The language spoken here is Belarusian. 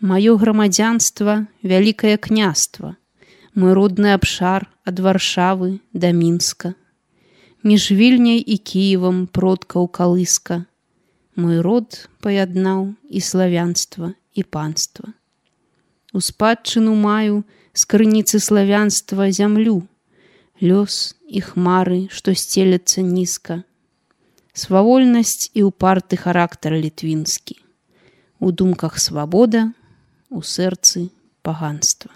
Маё грамадзянства – вялікае княства, мой родны абшар ад Варшавы да Мінска. Між Вільняй і Кіевам продкаў калыска, мой род паяднаў і славянства, і панства. У спадчыну маю з крыніцы славянства зямлю, лёс і хмары, што сцеляцца нізка. Свавольнасць і ўпарты характар літвінскі. У думках свабода, у сэрцы паганства.